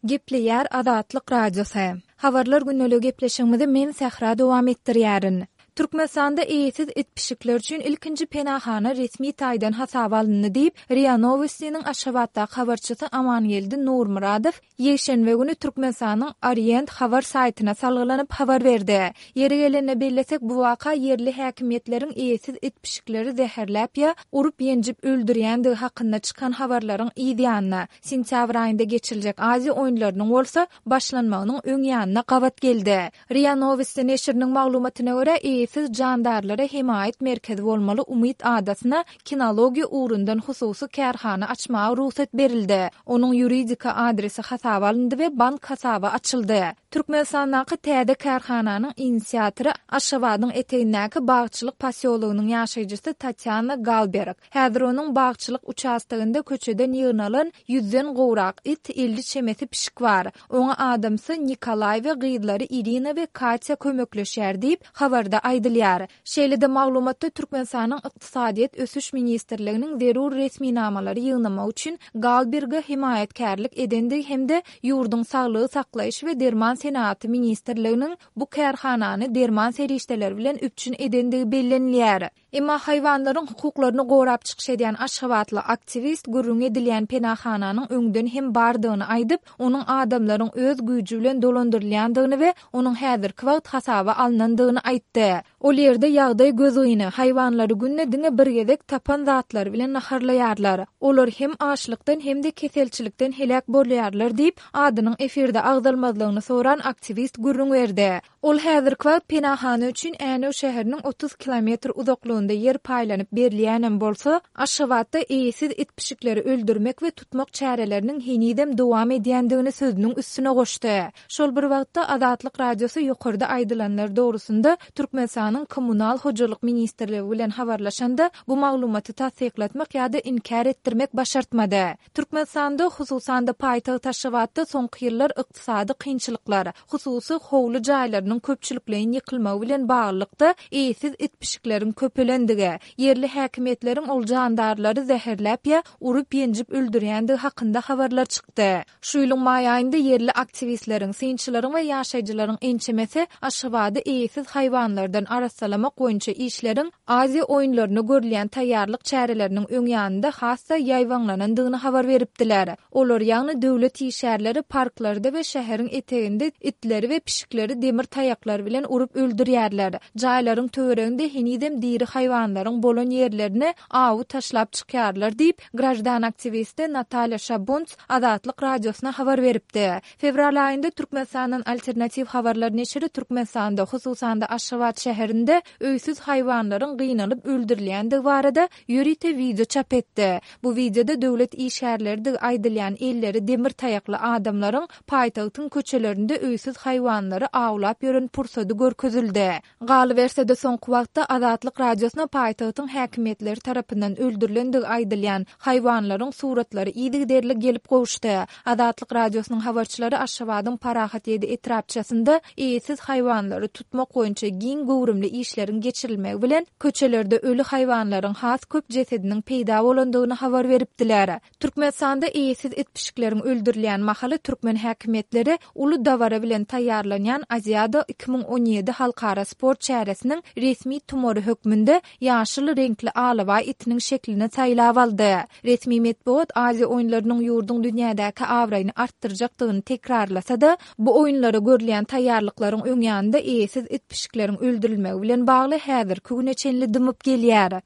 Gepleýär Azatlyk Radiosy. Habarlar gündeligi gepleşigimizi men Sähra dowam etdirýärin. Türkmenistanda eýesiz it-pişikler üçin ilkinji penahana resmi taýdan hasaba alyndy diýip, RIA Nowostiniň Aşgabatdaky habarçysy Amangeldi Nurmyradow ýekşenbe güni Türkmenistanyň Orient habar saýtyna salgylanyp habar berdi. Ýeri gelende bellesek, bu waka ýerli häkimiýetleriň eýesiz it-pişikleri zäherläp ýa urup-ýenjip öldürýändigi hakynda çykan habarlaryň yz ýanyna, Sentýabr aýynda geçiriljek Aziýa oýunlarynyň bolsa başlanmagynyň öň ýanyna gabat geldi. RIA Nowosti neşiriniň maglumatyna görä, eýesiz jandarlara hemaýat merkezi bolmaly Umyt adasyna kinologiýa ugrundan hususy kärhana açmaga rugsat berildi. Onuň ýuridiki adresi hasaba alyndy we bank hasaby açyldy. Türkmenistandaky täze kärhananyň inisiatory Aşgabadyň etegindäki Bagçylyk posýologynyň ýaşaýjysy Tatýana Galberg. Häzir onuň bagçylyk uçastogynda köçeden ýygnalan ýüzden gowrak it, 50 çemesi pişik bar. Oňa adamsy Nikolaý we gyzlary Irina we Katýa kömekleşýär diýip, habarda aýdylýar. Şeýle-de maglumatda Türkmenistanyň Ykdysadyýet ösüş ministrliginiň zerur resminamalary ýygnamak üçin Galberge hemaýatkärlik edendigi hem-de ýurduň Saglygy saklaýyş we derman senagaty ministrliginiň bu kärhanany derman serişdeleri bilen üpjün edendigi bellenilýär. Emma haýwanlaryň hukuklaryny gorap çykyş edýän aşgabatly aktiwist gürrüňi edilýän penahananyň öňden hem bardygyny aýdyp, onuň adamlaryň öz güýji bilen dolandyrylýandygyny we onuň häzirki wagt hasaba alnandygyny aýtdy. Ol ýerde ýagdaý gözgyny, haýwanlary günde diňe bir gezek tapan zatlary bilen naharlaýarlar. Olar hem açlykdan hem-de keselçilikden heläk bolýarlar diýip, adynyň efirde agzalmazlygyny soran aktiwist gürrüň berdi. Ol häzirki wagt penahana üçin Änew şäheriniň 30 kilometr uzaklygynda ýer paýlanyp berilýänem bolsa, Aşgabatda eýesiz it-pişikleri öldürmek we tutmak çäreleriniň henizem dowam edýändigini sözüniň üstüne goşdy. Şol bir wagtda, Azatlyk Radiosy ýokarda aýdylanlar dogrusynda Türkmenistanyň Kommunal hojalyk ministrligi bilen habarlaşanda, bu maglumaty tassyklatmak ýa-da inkär etdirmek başartmady. Türkmenistanda, hususan-da paýtagt Aşgabatda soňky ýyllar ykdysady kynçylyklar, hususy howly jaýlarynyň köpçülikleýin ýykylmagy bilen baglylykda eýesiz it-pişikleriň köpelendigi, ýerli häkimiýetleriň ol jandarlary zäherläp ýa urup-ýenjip öldürýändigi hakynda habarlar çykdy. Şu ýylyň maý aýynda ýerli aktiwistleriň, synçylaryň we ýaşaýjylaryň ençemesi Aşgabady eýesiz haýwanlardan arassalamak boýunça işleriň Aziýa oýunlaryna görülýän taýýarlyk çäreleriniň öň ýanynda has-da ýaýbaňlanandygyny habar beripdiler. Olar, ýagny döwlet işgärleri parklarda we şäheriň eteginde itleri we pişikleri demir taýaklar bilen urup öldürýärler. Jaýlaryň töwereginde henizem diri haýwanlaryň bolan ýerlerine awy taşlap çykýarlar diýip, graždan aktiwisti Natalýa Şabunts Azatlyk Radiosyna habar beripdi. Fewral aýynda Türkmenistandan Alternatiw habarlar neşiri Türkmenistanda, hususan-da Aşgabat şäherinde öýsüz haýwanlaryň gynalyp öldürilýändigi barada ýörite wideo çap etdi. Bu wideoda döwlet işgärleridigi aýdylýan elleri demir taýakly adamlaryň paýtagtyň köçelerinde öýsüz haýwanlary awlap ýören pursady görkezildi. Galyberse-de, soňky wagtda Azatlyk Radiosyna paýtagtyň häkimiýetleri tarapyndan öldürilendigi aýdylýan haýwanlaryň suratlary yzygiderli gelip gowuşdy. Azatlyk Radiosynyň habarçylary Aşgabadyň Parahat 7 etrapçasynda eýesiz haýwanlary tutmak boýunça giň göwrümli işleriň geçirilmegi bilen, köçelerde öli haýwanlaryň has köp jesediniň peýda bolandygyny habar beripdiler. Türkmenistanda eýesiz it-pişikleriň öldürilýän mahaly türkmen häkimiýetleri uly dabara bilen taýýarlanýan Aziada 2017 halkara sport çäresiniň resmi tumary hökmünde ýaşyl reňkli alabaý itiniň şeklini saýlap aldy. Resmi metbugat Aziýa oýunlarynyň ýurduň dünýädäki abraýyny artdyrjakdygyny tekrarlasa-da, bu oýunlara görülýän taýýarlyklaryň öňýanynda eýesiz it-pişikleriň öldürilmegi bilen bagly häzirki güne çenli dymyp gelýär.